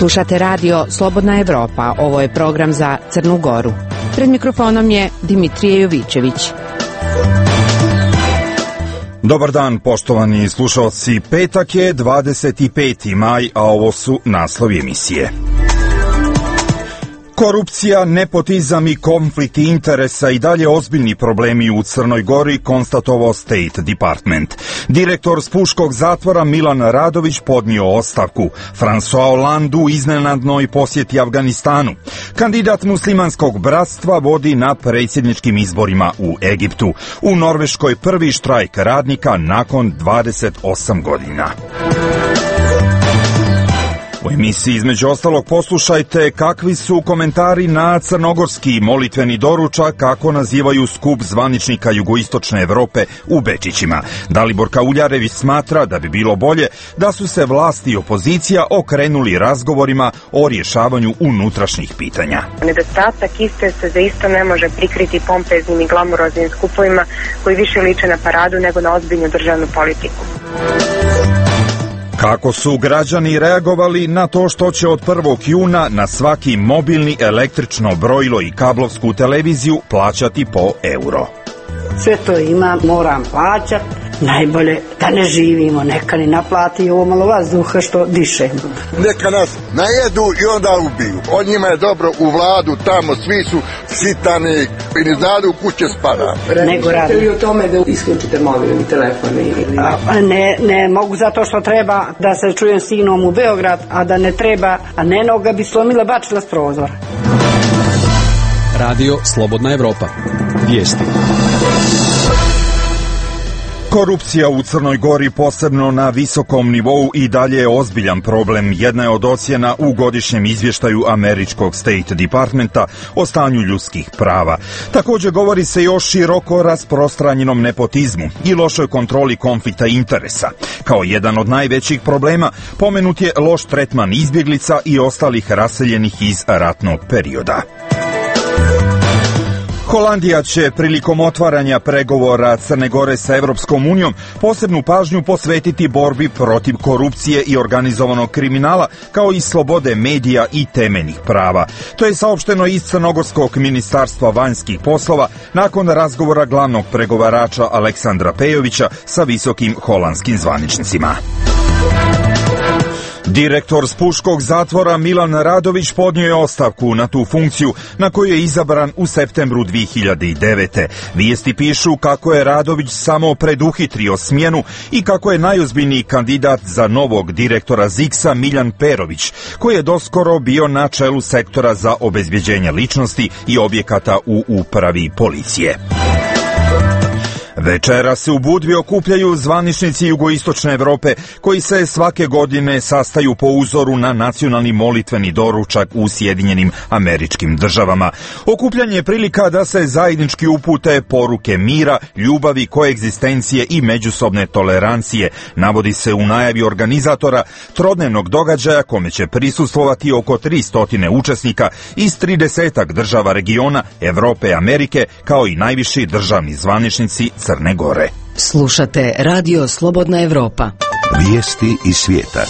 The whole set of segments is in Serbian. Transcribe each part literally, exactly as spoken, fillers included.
Slušate radio Slobodna Evropa, ovo je program za Crnu Goru. Pred mikrofonom je Dimitrije Jovićević. Dobar dan, poštovani slušalci. Petak je dvadeset peti maj, a ovo su naslovi emisije. Korupcija, nepotizam i konflikt interesa i dalje ozbiljni problemi u Crnoj Gori, konstatovao State Department. Direktor Spuškog zatvora Milan Radović podnio ostavku. François Hollande u iznenadnoj posjeti Afganistanu. Kandidat muslimanskog bratstva vodi na predsjedničkim izborima u Egiptu. U Norveškoj prvi štrajk radnika nakon dvadeset osam godina. U emisiji između ostalog poslušajte kakvi su komentari na crnogorski molitveni doručak, kako nazivaju skup zvaničnika jugoistočne Evrope u Bečićima. Dalibor Kauljarević smatra da bi bilo bolje da su se vlasti i opozicija okrenuli razgovorima o rješavanju unutrašnjih pitanja. Nedostatak iste se zaista ne može prikriti pompeznim i glamuroznim skupovima koji više liče na paradu nego na ozbiljnu državnu politiku. Kako su građani reagovali na to što će od prvog juna na svaki mobilni, električno brojilo i kablovsku televiziju plaćati po euro? Sve to ima, moram plaćati. Najbolje da ne živimo, neka ni naplati ovo malo vazduha što dišemo. Neka nas najedu i onda ubiju. Od njima je dobro u vladu, tamo svi su sitani i ne znadu u kuće spada. Nego radi. Li o tome da isključite mobilni telefon ili a, ne, ne mogu zato što treba da se čujem s sinom u Beograd, a da ne treba, a ne ga bi slomila, bačila s prozora. Radio Slobodna Evropa. Vijesti. Korupcija u Crnoj Gori, posebno na visokom nivou, i dalje je ozbiljan problem. Jedna je od ocjena u godišnjem izvještaju američkog State Departmenta o stanju ljudskih prava. Također govori se i o široko rasprostranjenom nepotizmu i lošoj kontroli konflikta interesa. Kao jedan od najvećih problema pomenut je loš tretman izbjeglica i ostalih raseljenih iz ratnog perioda. Holandija će prilikom otvaranja pregovora Crne Gore sa Evropskom unijom posebnu pažnju posvetiti borbi protiv korupcije i organizovanog kriminala, kao i slobode medija i temeljnih prava. To je saopšteno iz Crnogorskog ministarstva vanjskih poslova nakon razgovora glavnog pregovarača Aleksandra Pejovića sa visokim holandskim zvaničnicima. Direktor Spuškog zatvora Milan Radović podnio je ostavku na tu funkciju na koju je izabran u septembru dvije hiljade devete. Vijesti pišu kako je Radović samo preduhitrio smjenu i kako je najozbiljniji kandidat za novog direktora ZIKS-a Miljan Perović, koji je doskoro bio na čelu sektora za obezbjeđenje ličnosti i objekata u upravi policije. Večera se u Budvi okupljaju zvaničnici jugoistočne Evrope koji se svake godine sastaju po uzoru na nacionalni molitveni doručak u Sjedinjenim Američkim Državama. Okupljanje je prilika da se zajednički upute poruke mira, ljubavi, koegzistencije i međusobne tolerancije, navodi se u najavi organizatora trodnevnog događaja kome će prisustvovati oko tristo učesnika iz tridesetak država regiona Evrope i Amerike, kao i najviši državni zvaničnici Crne Gore. Slušate radio Slobodna Evropa. Vijesti iz svijeta.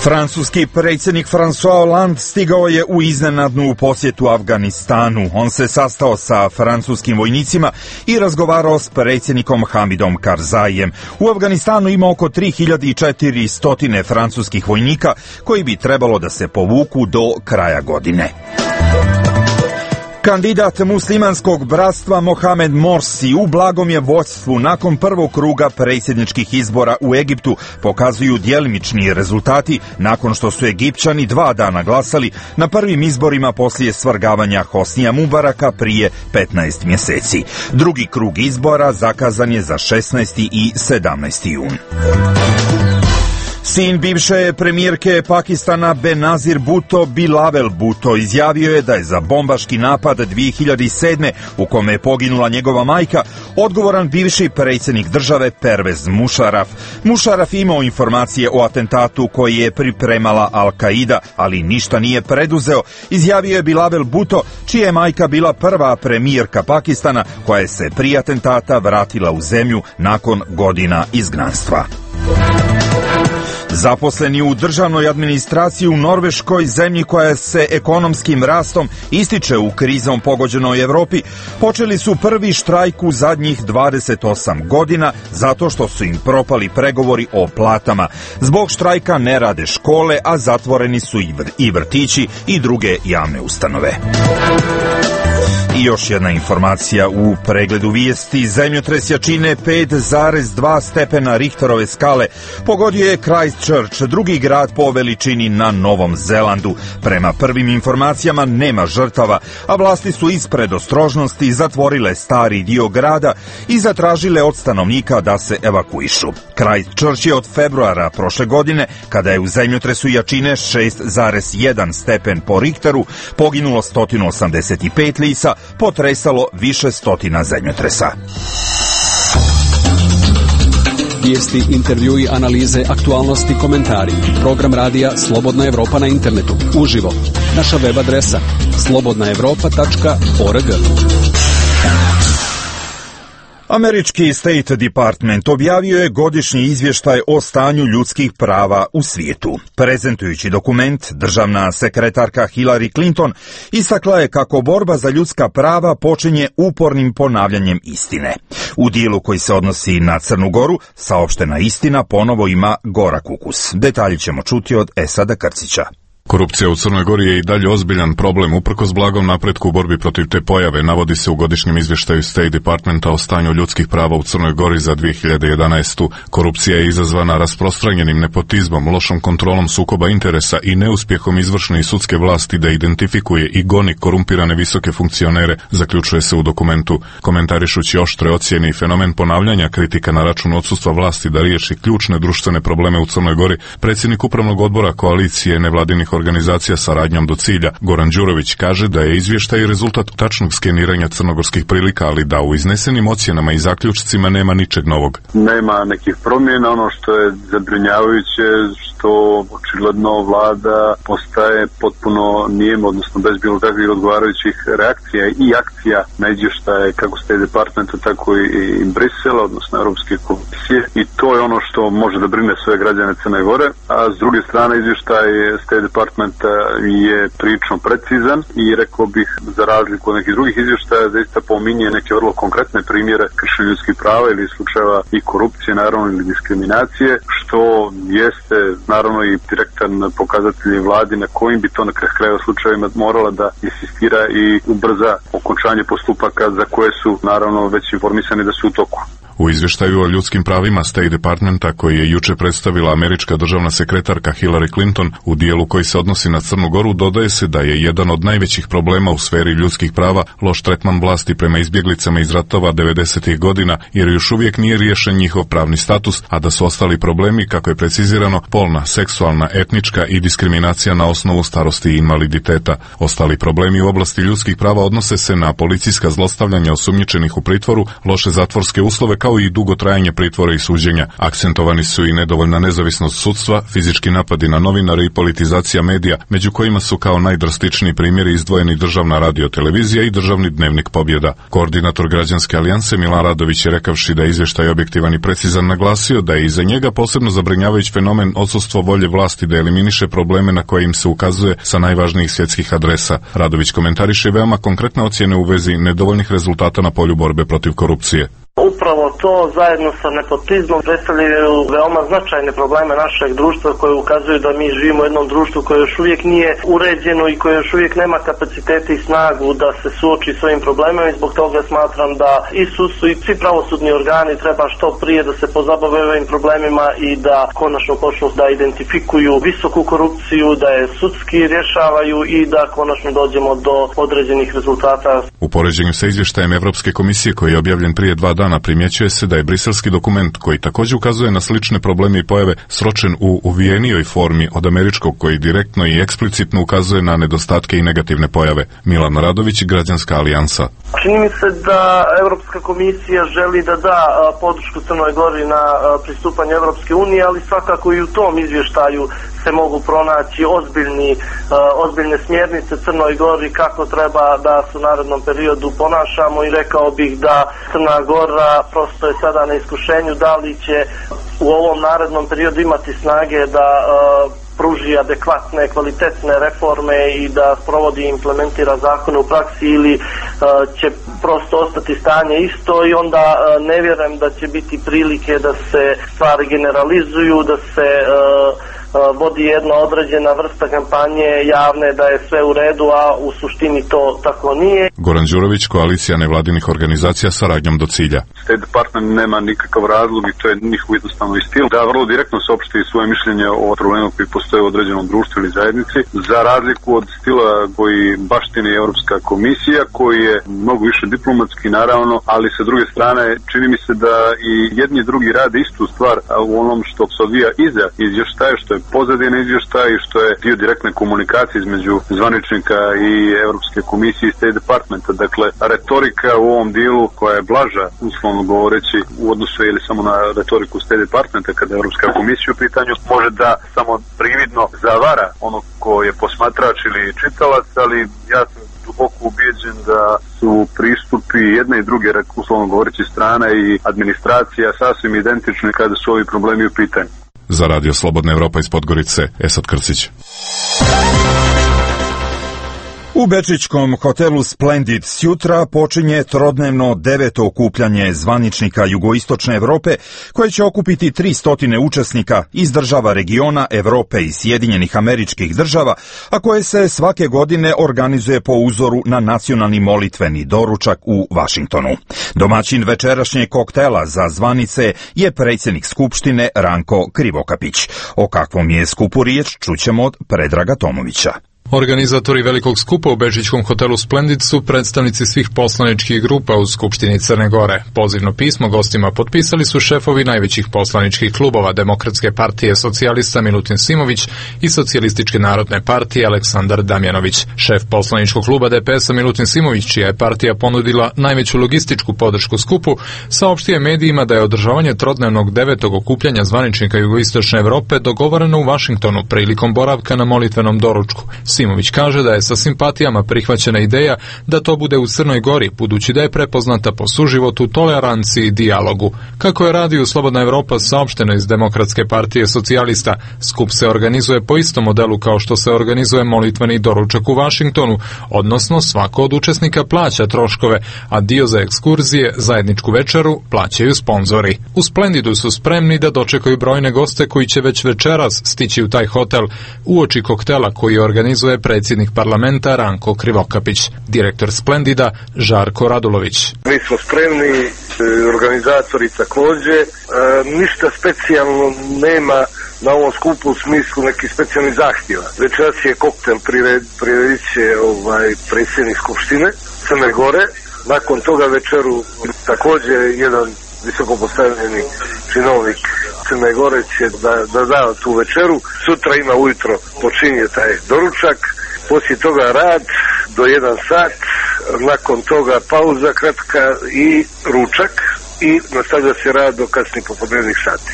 Francuski predsjednik François Hollande stigao je u iznenadnu posjetu Afganistanu. On se sastao sa francuskim vojnicima i razgovarao s predsjednikom Hamidom Karzaijem. U Afganistanu ima oko tri hiljade četiristo francuskih vojnika koji bi trebalo da se povuku do kraja godine. Kandidat muslimanskog bratstva Mohamed Morsi u blagom je vođstvu nakon prvog kruga predsjedničkih izbora u Egiptu, pokazuju djelimični rezultati nakon što su Egipćani dva dana glasali na prvim izborima poslije svrgavanja Hosnija Mubaraka prije petnaest mjeseci. Drugi krug izbora zakazan je za šesnaesti i sedamnaesti jun. Sin bivše premijerke Pakistana Benazir Bhutto, Bilawal Bhutto, izjavio je da je za bombaški napad dvije hiljade sedme u kome je poginula njegova majka odgovoran bivši predsjednik države Pervez Musharraf. Musharraf imao informacije o atentatu koji je pripremala Al-Qaida, ali ništa nije preduzeo, izjavio je Bilawal Bhutto, čija je majka bila prva premijerka Pakistana koja je se prije atentata vratila u zemlju nakon godina izgnanstva. Zaposleni u državnoj administraciji u Norveškoj, zemlji koja se ekonomskim rastom ističe u krizom pogođenoj Evropi, počeli su prvi štrajk u zadnjih dvadeset osam godina zato što su im propali pregovori o platama. Zbog štrajka ne rade škole, a zatvoreni su i vrtići i druge javne ustanove. I još jedna informacija u pregledu vijesti. Zemljotres jačine pet zarez dva stepena Richterove skale pogodio je Christchurch, drugi grad po veličini na Novom Zelandu. Prema prvim informacijama nema žrtava, a vlasti su iz predostrožnosti zatvorile stari dio grada i zatražile od stanovnika da se evakuišu. Christchurch je od februara prošle godine, kada je u zemljotresu jačine šest zarez jedan stepen po Richteru poginulo sto osamdeset pet lica, potresalo više stotina zemljotresa. Vijesti, intervjui, analize, aktualnosti, komentari. Program radija Slobodna Evropa na internetu. Uživo. Naša web adresa slobodna evropa tačka org. Američki State Department objavio je godišnji izvještaj o stanju ljudskih prava u svijetu. Prezentujući dokument, državna sekretarka Hillary Clinton istakla je kako borba za ljudska prava počinje upornim ponavljanjem istine. U dijelu koji se odnosi na Crnu Goru, saopštena istina ponovo ima gorak ukus. Detalji ćemo čuti od Esada Krcića. Korupcija u Crnoj Gori je i dalje ozbiljan problem uprkos blagom napretku u borbi protiv te pojave, navodi se u godišnjem izvještaju State Departmenta o stanju ljudskih prava u Crnoj Gori za dvije hiljade jedanaestu. Korupcija je izazvana rasprostranjenim nepotizmom, lošom kontrolom sukoba interesa i neuspjehom izvršne i sudske vlasti da identifikuje i goni korumpirane visoke funkcionere, zaključuje se u dokumentu. Komentarišući oštre ocjene i fenomen ponavljanja kritika na račun odsustva vlasti da riješi ključne društvene probleme u Crnoj Gori, predsjednik upravnog odbora koalicije nevladinih organizacija saradnjom do cilja, Goran Đurović, kaže da je izvještaj rezultat tačnog skeniranja crnogorskih prilika, ali da u iznesenim ocjenama i zaključcima nema ničeg novog. Nema nekih promjena, ono što je zabrinjavajuće, što očigledno vlada postaje potpuno nijema, odnosno bez bilo kakvih odgovarajućih reakcija i akcija na izvještaje kako State Departmenta, tako i Brisela, odnosno Europske komisije, i to je ono što može da brine sve građane Crne Gore, a s druge strane izvještaj State Departmenta je prilično precizan i rekao bih, za razliku od nekih drugih izvještaja, zaista pominje neke vrlo konkretne primjere kršenja ljudskih prava ili slučajeva i korupcije, naravno, ili diskriminacije, što jeste naravno i direktan pokazatelj vladi na kojim bi to na kraju slučajevima morala da insistira i ubrza okončanje postupaka za koje su naravno već informisani da su u toku. U izvještaju o ljudskim pravima State Departmenta, koji je juče predstavila američka državna sekretarka Hillary Clinton, u dijelu koji se odnosi na Crnu Goru, dodaje se da je jedan od najvećih problema u sferi ljudskih prava loš tretman vlasti prema izbjeglicama iz ratova devedesetih godina, jer još uvijek nije riješen njihov pravni status, a da su ostali problemi, kako je precizirano, polna, seksualna, etnička i diskriminacija na osnovu starosti i invaliditeta. Ostali problemi u oblasti ljudskih prava odnose se na policijska zlostavljanja osumnjičenih u pritvoru, loše zatvorske uslove, kao i dugo trajanje pritvora i suđenja. Akcentovani su i nedovoljna nezavisnost sudstva, fizički napadi na novinare i politizacija medija, među kojima su kao najdrastičniji primjeri izdvojeni državna radiotelevizija i državni dnevnik Pobjeda. Koordinator Građanske alijanse Milan Radović je, rekavši da je izvještaj objektivan i precizan, naglasio da je iza njega posebno zabrinjavajući fenomen odsustvo volje vlasti da eliminiše probleme na koje im se ukazuje sa najvažnijih svjetskih adresa. Radović komentariše veoma konkretne ocjene u vezi nedovoljnih rezultata na polju borbe protiv korupcije. Upravo to zajedno sa nepotizmom predstavljaju veoma značajne probleme našeg društva koje ukazuju da mi živimo u jednom društvu koje još uvijek nije uređeno i koje još uvijek nema kapacitete i snagu da se suoči s ovim problemima, i zbog toga smatram da i sudstvo i svi pravosudni organi treba što prije da se pozabave ovim problemima i da konačno počnu da identifikuju visoku korupciju, da je sudski rješavaju i da konačno dođemo do određenih rezultata. U poređenju sa izvještajem Evropske komisije koji je objavljen prije dva dana primjećuje se da je briselski dokument, koji također ukazuje na slične probleme i pojave, sročen u uvijenijoj formi od američkog, koji direktno i eksplicitno ukazuje na nedostatke i negativne pojave. Milan Radović, Građanska alijansa. Čini mi se da Europska komisija želi da da podršku Crnoj Gori na pristupanje Europske unije, ali svakako i u tom izvještaju se mogu pronaći ozbiljni, ozbiljne smjernice Crnoj Gori kako treba da se u narednom periodu ponašamo i rekao bih da Crna Gora prosto je sada na iskušenju da li će u ovom narednom periodu imati snage da pruži adekvatne, kvalitetne reforme i da provodi i implementira zakone u praksi ili uh, će prosto ostati stanje isto i onda uh, ne vjerujem da će biti prilike da se stvari generalizuju, da se uh, vodi jedna određena vrsta kampanje javne da je sve u redu, a u suštini to tako nije. Goran Đurović, koalicija nevladinih organizacija saradnjom do cilja. State Department nema nikakav razlog i to je njihov jednostavno i stil da vrlo direktno saopšti svoje mišljenje o problemu koji postoje u određenom društvu ili zajednici, za razliku od stila koji baštini Europska komisija, koji je mnogo više diplomatski naravno, ali sa druge strane čini mi se da i jedni i drugi rade istu stvar u onom što se odvija iza izvještaja, što je pozadina izvještaja i što je dio direktne komunikacije između zvaničnika i Europske komisije i State Departmenta. Dakle, retorika u ovom dijelu koja je blaža, uslovno govoreći, u odnosu ili samo na retoriku State Departmenta kada je Europska komisija u pitanju, može da samo prividno zavara ono ko je posmatrač ili čitalac, ali ja sam duboko ubijeđen da su pristupi jedne i druge, uslovno govoreći, strane i administracija sasvim identični kada su ovi problemi u pitanju. Za Radio Slobodna Evropa iz Podgorice, Esad Krcić. U bečićkom hotelu Splendid sjutra počinje trodnevno deveto okupljanje zvaničnika jugoistočne Evrope koje će okupiti tristo učesnika iz država regiona Evrope i Sjedinjenih Američkih Država, a koje se svake godine organizuje po uzoru na nacionalni molitveni doručak u Vašingtonu. Domaćin večerašnjeg koktela za zvanice je predsjednik Skupštine Ranko Krivokapić. O kakvom je skupu riječ čućemo od Predraga Tomovića. Organizatori velikog skupa u bečićkom hotelu Splendid su predstavnici svih poslaničkih grupa u Skupštini Crne Gore. Pozivno pismo gostima potpisali su šefovi najvećih poslaničkih klubova Demokratske partije Socijalista Milutin Simović i Socijalističke narodne partije Aleksandar Damjanović. Šef poslaničkog kluba D P S-a Milutin Simović, čija je partija ponudila najveću logističku podršku skupu, saopštio je medijima da je održavanje trodnevnog devetog okupljanja zvaničnika jugoistočne Evrope dogovoreno u Vašingtonu prilikom boravka na molitvenom doručku. Simović kaže da je sa simpatijama prihvaćena ideja da to bude u Crnoj Gori, budući da je prepoznata po suživotu, toleranciji i dijalogu. Kako je Radio Slobodna Evropa saopšteno iz Demokratske partije Socijalista, skup se organizuje po istom modelu kao što se organizuje molitveni doručak u Vašingtonu, odnosno svako od učesnika plaća troškove, a dio za ekskurzije, zajedničku večeru plaćaju sponzori. U Splendidu su spremni da dočekaju brojne goste koji će već večeras stići u taj hotel uoči koktela koji organizuje predsjednik parlamenta Ranko Krivokapić. Direktor Splendida Žarko Radulović. Mi smo spremni, organizatori također. E, ništa specijalno nema na ovom skupu u smislu nekih specijalnih zahtjeva. Večeras je koktel priredit će ovaj, predsjednik Skupštine Crne Gore. Nakon toga večeru također jedan visoko postavljeni činovnik Crne Gore će da, da da tu večeru. Sutra ima ujutro počinje taj doručak, poslije toga rad do jedan sat, nakon toga pauza kratka i ručak i nastavlja se rad do kasnih popodnevnih sati.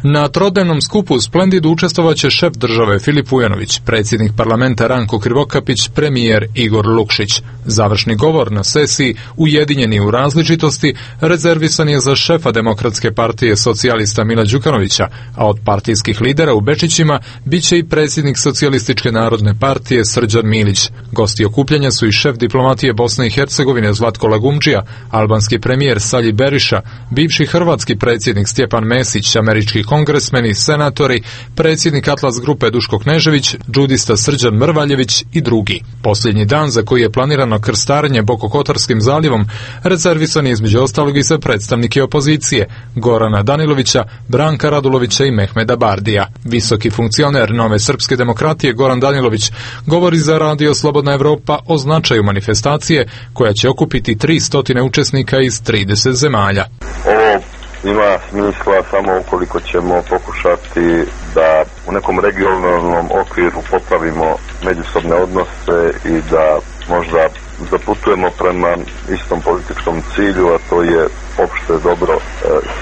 Na trodnevnom skupu u Splendidu učestvovat će šef države Filip Vujanović, predsjednik parlamenta Ranko Krivokapić, premijer Igor Lukšić. Završni govor na sesiji Ujedinjeni u različitosti rezervisan je za šefa Demokratske partije Socijalista Mila Đukanovića, a od partijskih lidera u Bečićima bit će i predsjednik Socijalističke narodne partije Srđan Milić. Gosti okupljanja su i šef diplomatije Bosne i Hercegovine Zlatko Lagumdžija, albanski premijer Salji Beriša, bivši hrvatski predsjednik Stjepan Mesić, američki kongresmeni, senatori, predsjednik Atlas grupe Duško Knežević, džudista Srđan Mrvaljević i drugi. Posljednji dan za koji je planirano krstarenje Bokokotorskim zaljevom rezervisan je između ostalog i za predstavnike opozicije Gorana Danilovića, Branka Radulovića i Mehmeda Bardija. Visoki funkcioner Nove srpske demokratije Goran Danilović govori za Radio Slobodna Evropa o značaju manifestacije koja će okupiti tristo učesnika iz trideset zemalja. Ovo ima smisla samo ukoliko ćemo pokušati da u nekom regionalnom okviru popravimo međusobne odnose i da možda zaputujemo prema istom političkom cilju, a to je opšte dobro e,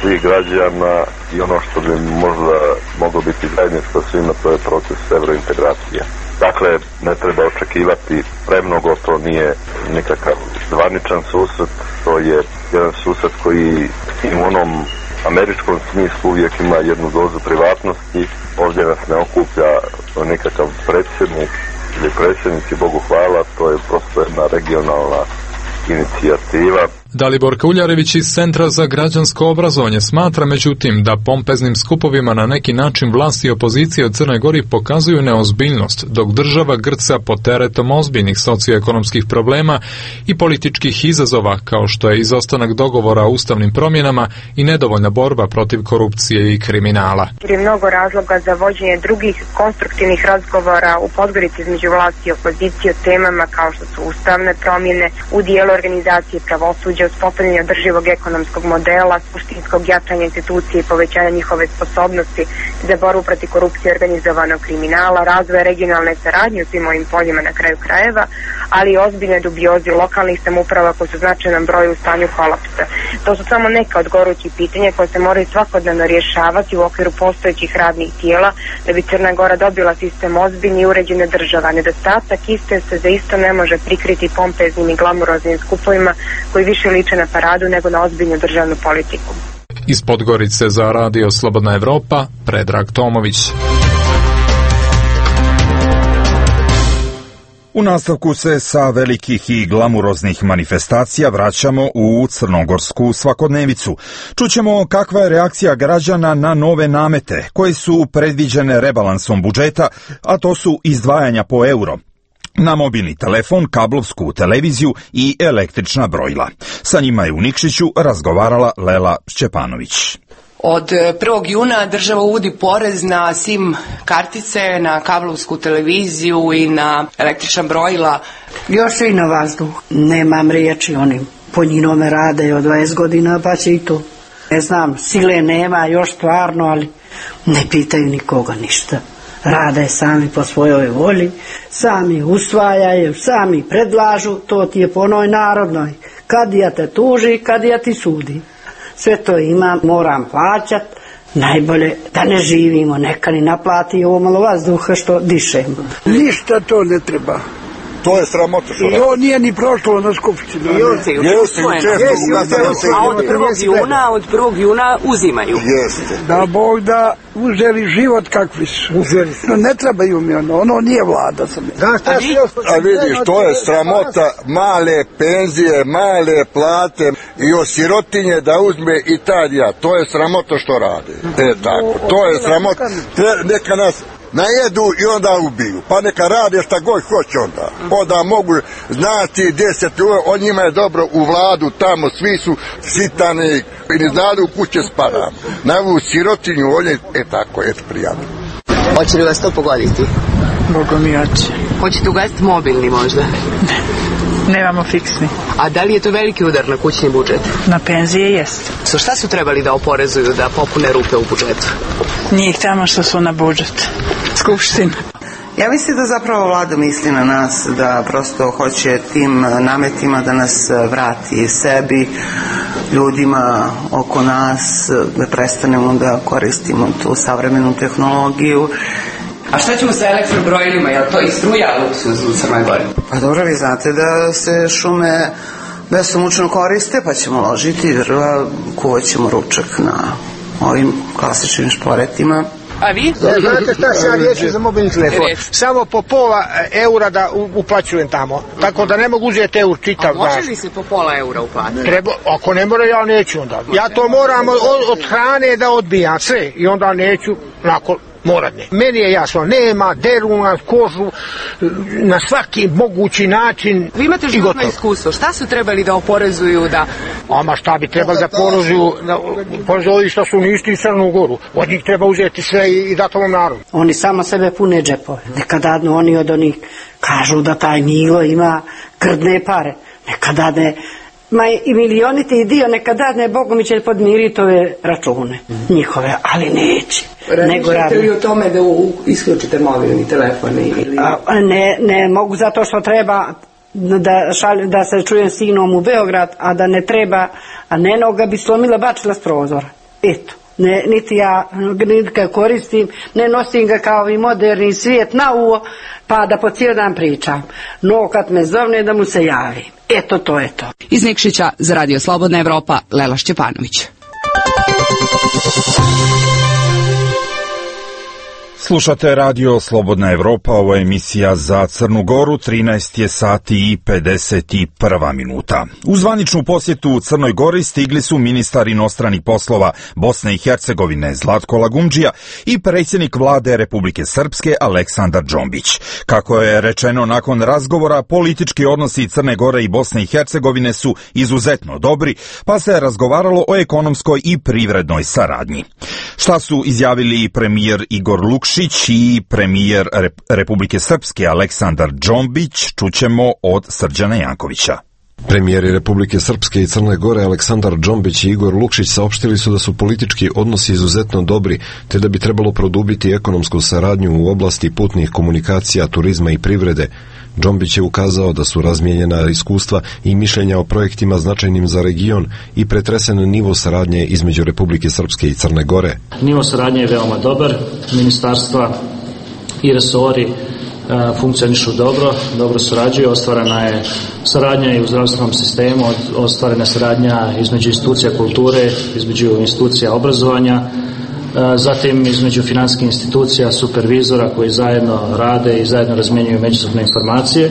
svih građana i ono što bi možda moglo biti zajedničko svima, to je proces evrointegracije. Dakle, ne treba očekivati premnogo, to nije nikakav zvaničan susret, to je jedan susret koji i u onom američkom smislu uvijek ima jednu dozu privatnosti. Ovdje nas ne okuplja nikakav predsjednik ili predsjednici, Bogu hvala, to je prosto jedna regionalna inicijativa. Dalibor Kauljarević iz Centra za građansko obrazovanje smatra međutim da pompeznim skupovima na neki način vlast i opozicija u Crnoj Gori pokazuju neozbiljnost, dok država grca pod teretom ozbiljnih socioekonomskih problema i političkih izazova kao što je izostanak dogovora o ustavnim promjenama i nedovoljna borba protiv korupcije i kriminala. Je mnogo razloga za vođenje drugih konstruktivnih razgovora u Podgorici između vlasti i opozicije o temama kao što su ustavne promjene, u dijelu organizacije pravosuđa, uspostavljanje održivog ekonomskog modela, suštinskog jačanja institucije i povećanja njihove sposobnosti za borbu protiv korupcije i organizovanog kriminala, razvoja regionalne saradnje u svim ovim poljima na kraju krajeva, ali i ozbiljne dubioze lokalnih samouprava koji su u značajnom broju u stanju kolapsa. To su samo neka od gorućih pitanja koje se moraju svakodnevno rješavati u okviru postojećih radnih tijela da bi Crna Gora dobila sistem ozbiljne i uređene država. Nedostatak iste se za isto ne može prikriti pompeznim i glamuroznim skupovima koji više liče na paradu nego na ozbiljnu državnu politiku. Iz Podgorice za Radio Slobodna Evropa, Predrag Tomović. U nastavku se sa velikih i glamuroznih manifestacija vraćamo u crnogorsku svakodnevicu. Čućemo kakva je reakcija građana na nove namete koje su predviđene rebalansom budžeta, a to su izdvajanja po euro na mobilni telefon, kablovsku televiziju i električna brojila. Sa njima je u Nikšiću razgovarala Lela Šćepanović. Od prvog juna država uvodi porez na SIM kartice, na kablovsku televiziju i na električna brojila. Još i na vazduh. Nemam riječi, oni po njinome rade od dvadeset godina, pa će i to. Ne znam, sile nema još stvarno, ali ne pitaju nikoga ništa. Rade sami po svojoj volji, sami usvajaju, sami predlažu, to ti je po onoj narodnoj. Kad ja te tuži, kad ja ti sudi. Sve to ima, moram plaćat, najbolje da ne živimo, neka ni naplati ovo malo vazduha što dišemo. Ništa to ne treba. To je sramota što radi. I ovo nije ni prošlo na skupštinu. Jeste, a od prvog juna, od prvog juna uzimaju. Jeste. Da Bog da uzeli život kakvi su. No ne trebaju mi ono, ono nije vlada sam. Da, šta si još? A vidiš, to je sramota, male penzije, male plate i od sirotinje da uzme Italija. To je sramota što rade. E tako, to je sramota. Neka nas najedu i onda ubiju, pa neka rade šta god hoće onda. Onda mogu znati deset ljudi, on njima je dobro u vladu, tamo svi su sitani i ne znaju u kuće spada. Na ovu sirotinju, on je, e tako, eto prijatno. Hoće li vas to pogoditi? Bogo mi hoće. Hoćete ugasiti mobilni možda? Ne, nemamo fiksni. A da li je to veliki udar na kućni budžet? Na penzije jest. So šta su trebali da oporezuju da popune rupe u budžetu? Njih tamo što su na budžet. Skupština. Ja mislim da zapravo vlada misli na nas, da prosto hoće tim nametima da nas vrati sebi, ljudima oko nas, da prestanemo da koristimo tu savremenu tehnologiju. A šta ćemo sa elektrobrojilima? Je li to i struja luksuz u Crnoj Gori? Pa dobro, vi znate da se šume besomučno koriste, pa ćemo ložiti drva, kuvat ćemo ručak na ovim klasičnim šporetima. A vi? Znate šta se ja riješim za mobilni telefon? Samo po pola eura da uplaćujem tamo. Tako da ne mogu uzeti eur čitav. A može li se po pola eura uplatiti? Treba, ako ne mora, ja neću onda. Ja to moram od, od hrane da odbijam sve i onda neću nakon morat ne. Meni je jasno, nema, deru na kožu na svaki mogući način. Vi imate životno iskustvo, šta su trebali da oporezuju da... Ama šta bi trebali da porezuju, da porezuju što su ništi i Crnu Goru. Od njih treba uzeti sve i, i dati ovom narodu. Oni samo sebe pune džepove. Nekada oni od onih kažu da taj Milo ima grdne pare. Nekada ne... Ma i milioniti i dio nekad dadne, Bogu mi će podmiriti ove račune njihove, ali neće. Razmišljate li o tome da isključite mobilni telefon? Ili... A, ne, ne mogu zato što treba da, šalje, da se čujem sinom u Beograd, a da ne treba, a ne ga bi slomila, bačila s prozora. Eto. Ne, niti ja niti ga koristim, ne nosim ga kao i moderni svijet na uvo, pa da po cijel dan pričam. No kad me zovne da mu se javim. Eto, to je to. Iz Nikšića za Radio Slobodna Evropa, Lela Šćepanović. Slušate Radio Slobodna Evropa, ovo je emisija za Crnu Goru, trinaest je sati i pedeset prva minuta. U zvaničnu posjetu u Crnoj Gori stigli su ministar inostranih poslova Bosne i Hercegovine Zlatko Lagumdžija i predsjednik vlade Republike Srpske Aleksandar Džombić. Kako je rečeno nakon razgovora, politički odnosi Crne Gore i Bosne i Hercegovine su izuzetno dobri, pa se razgovaralo o ekonomskoj i privrednoj saradnji. Šta su izjavili premijer Igor Lukšić i premijer Republike Srpske Aleksandar Džombić, čućemo od Srđana Jankovića. Premijeri Republike Srpske i Crne Gore Aleksandar Džombić i Igor Lukšić saopštili su da su politički odnosi izuzetno dobri, te da bi trebalo produbiti ekonomsku saradnju u oblasti putnih komunikacija, turizma i privrede. Džombić je ukazao da su razmijenjena iskustva i mišljenja o projektima značajnim za region i pretresen nivo saradnje između Republike Srpske i Crne Gore. Nivo saradnje je veoma dobar, ministarstva i resori funkcionišu dobro, dobro surađuju, ostvarena je saradnja i u zdravstvenom sistemu, ostvarena saradnja između institucija kulture, između institucija obrazovanja, zatim između financijskih institucija, supervizora koji zajedno rade i zajedno razmjenjuju međusobne informacije.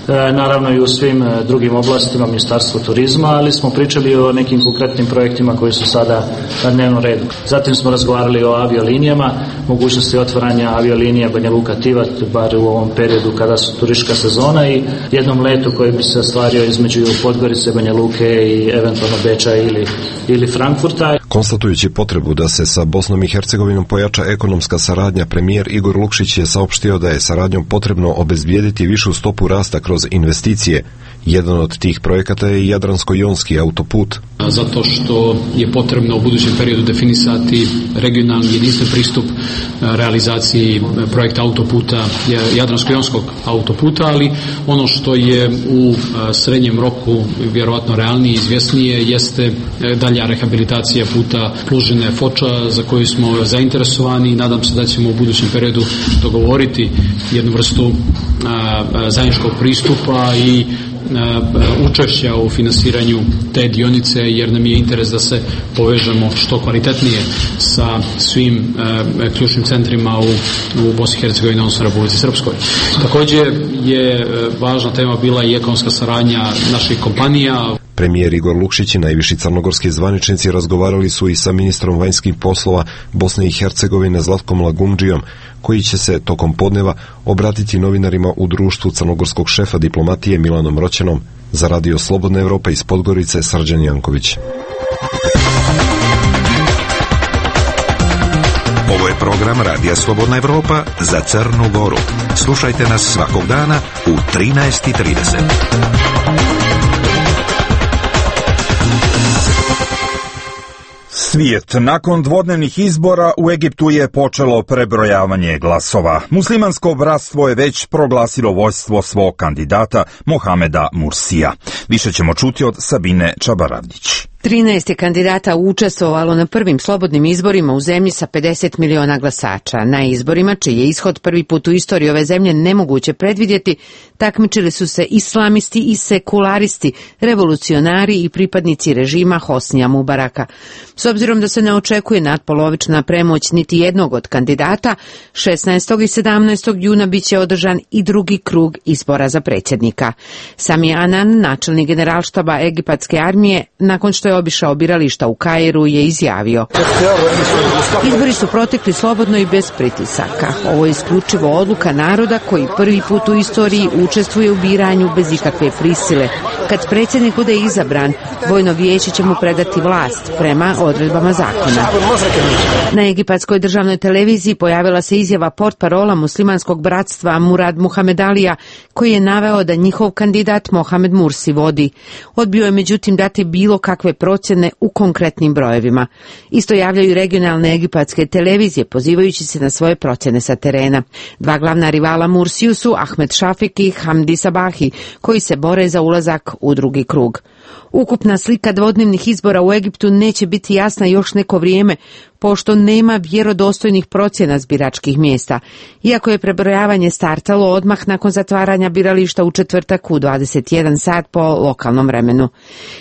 Naravno i u svim drugim oblastima, Ministarstvo turizma, ali smo pričali o nekim konkretnim projektima koji su sada na dnevnom redu. Zatim smo razgovarali o aviolinijama, mogućnosti otvaranja aviolinija Banja Luka Tivat, bar u ovom periodu kada su turistička sezona, i jednom letu koji bi se ostvario između Podgorice, Banja Luke i eventualno Beča ili, ili Frankfurta. Konstatujući potrebu da se sa Bosnom i Hercegovinom pojača ekonomska saradnja, premijer Igor Lukšić je saopštio da je saradnjom potrebno obezbijediti višu stopu rasta kroz investicije. Jedan od tih projekata je Jadransko-jonski autoput. Zato što je potrebno u budućem periodu definisati regionalni jedinstven pristup realizaciji projekta autoputa, Jadransko-jonskog autoputa, ali ono što je u srednjem roku vjerovatno realnije i izvjesnije jeste dalja rehabilitacija puta Plužine-Foča, za koju smo zainteresovani i nadam se da ćemo u budućem periodu dogovoriti jednu vrstu zajedničkog pristupa i učešća u finansiranju te dionice, jer nam je interes da se povežemo što kvalitetnije sa svim e, ključnim centrima u, u Bosni i Hercegovini, odnosno Republici Srpskoj. Također je e, važna tema bila i ekonomska saradnja naših kompanija. Premijer Igor Lukšić i najviši crnogorski zvaničnici razgovarali su i sa ministrom vanjskih poslova Bosne i Hercegovine Zlatkom Lagumdžijom, koji će se tokom podneva obratiti novinarima u društvu crnogorskog šefa diplomatije Milanom Roćenom. Za Radio Slobodna Evropa iz Podgorice, Srđan Janković. Ovo je program Radija Slobodna Evropa za Crnu Goru. Slušajte nas svakog dana u trinaest i trideset. Svijet. Nakon dvodnevnih izbora u Egiptu je počelo prebrojavanje glasova. Muslimansko bratstvo je već proglasilo vođstvo svog kandidata Mohameda Mursija. Više ćemo čuti od Sabine Čabaravdić. trinaest je kandidata učestvovalo na prvim slobodnim izborima u zemlji sa pedeset miliona glasača. Na izborima, čiji je ishod prvi put u istoriji ove zemlje nemoguće predvidjeti, takmičili su se islamisti i sekularisti, revolucionari i pripadnici režima Hosnija Mubaraka. S obzirom da se ne očekuje nadpolovična premoć niti jednog od kandidata, šesnaestog i sedamnaestog juna bit će održan i drugi krug izbora za predsjednika. Sami Anan, načelnik generalštaba egipatske armije, nakon što je obišao birališta u Kairu, je izjavio: izbori su protekli slobodno i bez pritisaka. Ovo je isključivo odluka naroda koji prvi put u istoriji učestvuje u biranju bez ikakve prisile Kad predsjednik bude izabran, vojno vijeće će mu predati vlast prema odredbama zakona. Na egipatskoj državnoj televiziji pojavila se izjava portparola muslimanskog bratstva Murad Muhamedalija, koji je naveo da njihov kandidat Mohamed Mursi vodi. Odbio je međutim dati bilo kakve procjene u konkretnim brojevima. Isto javljaju regionalne egipatske televizije, pozivajući se na svoje procjene sa terena. Dva glavna rivala Mursiju su Ahmed Šafik i Hamdi Sabahi, koji se bore za ulazak u drugi krug. Ukupna slika dvodnevnih izbora u Egiptu neće biti jasna još neko vrijeme, pošto nema vjerodostojnih procjena zbiračkih mjesta, iako je prebrojavanje startalo odmah nakon zatvaranja birališta u četvrtak u dvadeset jedan sat po lokalnom vremenu.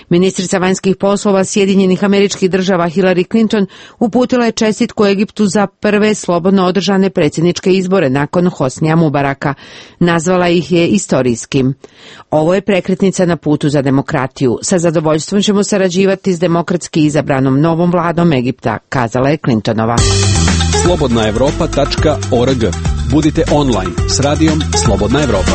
Ministrica vanjskih poslova Sjedinjenih Američkih Država Hillary Clinton uputila je čestitku Egiptu za prve slobodno održane predsjedničke izbore nakon Hosnija Mubaraka. Nazvala ih je istorijskim. Ovo je prekretnica na putu za demokratiju. Sa zadovoljstvom ćemo sarađivati s demokratski izabranom novom vladom Egipta, kazala je Clintonova. slobodna evropa tačka org. Budite online s radijom Slobodna Evropa.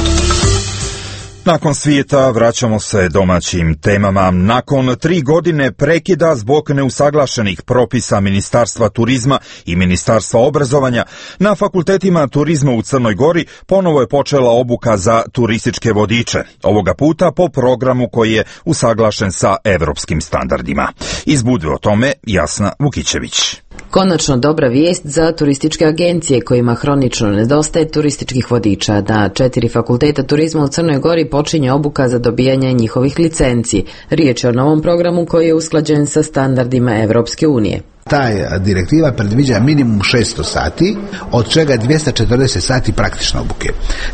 Nakon svijeta vraćamo se domaćim temama. Nakon tri godine prekida zbog neusaglašenih propisa Ministarstva turizma i Ministarstva obrazovanja, na fakultetima turizma u Crnoj Gori ponovo je počela obuka za turističke vodiče. Ovoga puta po programu koji je usaglašen sa evropskim standardima. Iz Budve o tome Jasna Vukićević. Konačno dobra vijest za turističke agencije kojima hronično nedostaje turističkih vodiča. Na četiri fakulteta turizma u Crnoj Gori počinje obuka za dobijanje njihovih licenci. Riječ je o novom programu koji je usklađen sa standardima Evropske unije. Ta direktiva predviđa minimum šesto sati, od čega dvjesto četrdeset sati praktične obuke.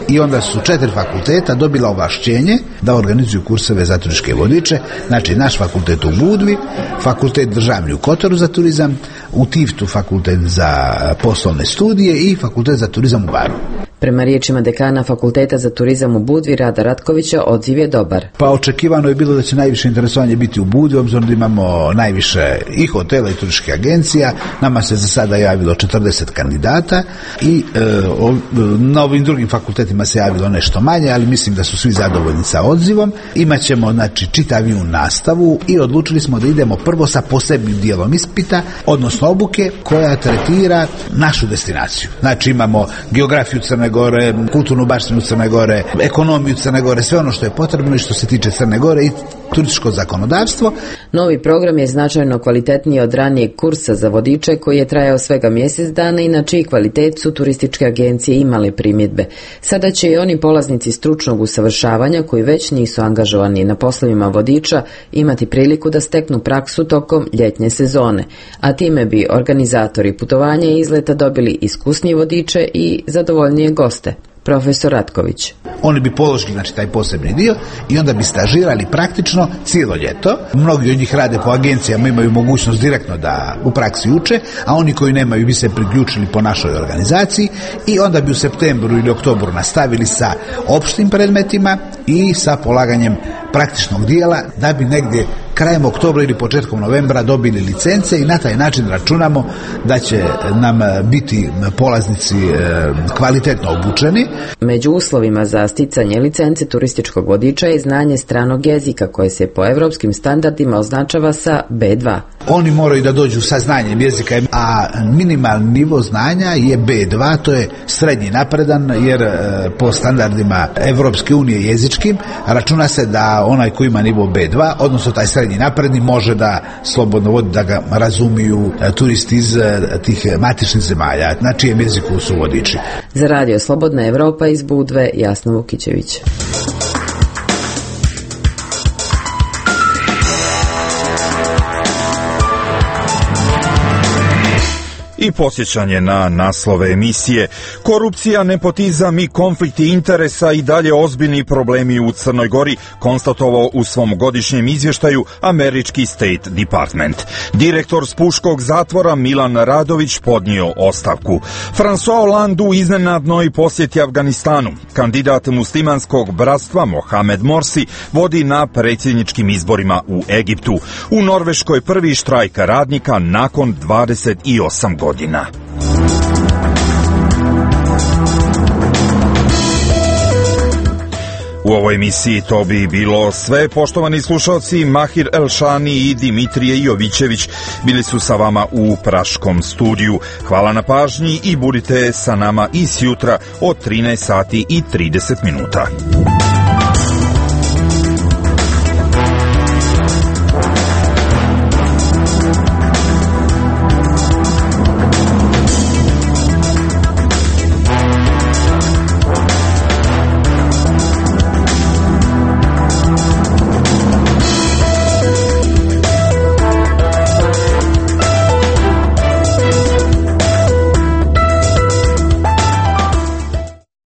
I onda su četiri fakulteta dobila ovlašćenje da organizuju kurseve za turističke vodiče, znači naš fakultet u Budvi, fakultet državni u Kotoru za turizam, u Tiftu fakultet za poslovne studije i fakultet za turizam u Baru. Prema riječima dekana Fakulteta za turizam u Budvi, Rada Ratkovića, odziv je dobar. Pa očekivano je bilo da će najviše interesovanje biti u Budvi, obzirom da imamo najviše i hotela i turističkih agencija. Nama se za sada javilo četrdeset kandidata i e, o, na ovim drugim fakultetima se javilo nešto manje, ali mislim da su svi zadovoljni sa odzivom. Imaćemo znači čitaviju nastavu i odlučili smo da idemo prvo sa posebnim dijelom ispita, odnosno obuke koja tretira našu destinaciju. Znači imamo geografiju Crne Gore, kulturnu baštinu Crne Gore, ekonomiju Crne Gore, sve ono što je potrebno i što se tiče Crne Gore i turističko zakonodavstvo. Novi program je značajno kvalitetniji od ranijeg kursa za vodiče koji je trajao svega mjesec dana i na čiji kvalitet su turističke agencije imale primjedbe. Sada će i oni polaznici stručnog usavršavanja koji već nisu angažovani na poslovima vodiča imati priliku da steknu praksu tokom ljetnje sezone, a time bi organizatori putovanja i izleta dobili iskusnije vodiče i zadovoljnije goste. Profesor Ratković. Oni bi položili znači taj posebni dio i onda bi stažirali praktično cijelo ljeto. Mnogi od njih rade po agencijama, imaju mogućnost direktno da u praksi uče, a oni koji nemaju bi se priključili po našoj organizaciji i onda bi u septembru ili oktobru nastavili sa opštim predmetima i sa polaganjem praktičnog dijela da bi negdje krajem oktobra ili početkom novembra dobili licence i na taj način računamo da će nam biti polaznici kvalitetno obučeni. Među uslovima za sticanje licence turističkog vodiča je znanje stranog jezika koje se po evropskim standardima označava sa be dva. Oni moraju da dođu sa znanjem jezika, a minimalni nivo znanja je be dva, to je srednji napredan, jer po standardima Evropske unije jezičkim računa se da onaj koji ima nivo be dva, odnosno taj srednji napredni, može da slobodno vodi, da ga razumiju turisti iz tih matičnih zemalja, na čijem jeziku su vodiči. Za radio Slobodna Evropa iz Budve, Jasna Vukićević. I posjećanje na naslove emisije. Korupcija, nepotizam i konflikti interesa i dalje ozbiljni problemi u Crnoj Gori, konstatovao u svom godišnjem izvještaju američki State Department. Direktor Spuškog zatvora Milan Radović podnio ostavku. François Hollande u iznenadnoj posjeti Afganistanu. Kandidat muslimanskog bratstva Mohamed Morsi vodi na predsjedničkim izborima u Egiptu. U Norveškoj prvi štrajk radnika nakon dvadeset osam godina. U ovoj emisiji to bi bilo sve. Poštovani slušalci, Mahir Elšani i Dimitrije Jovićević bili su sa vama u Praškom studiju. Hvala na pažnji i budite sa nama i sjutra od trinaest sati i trideset minuta.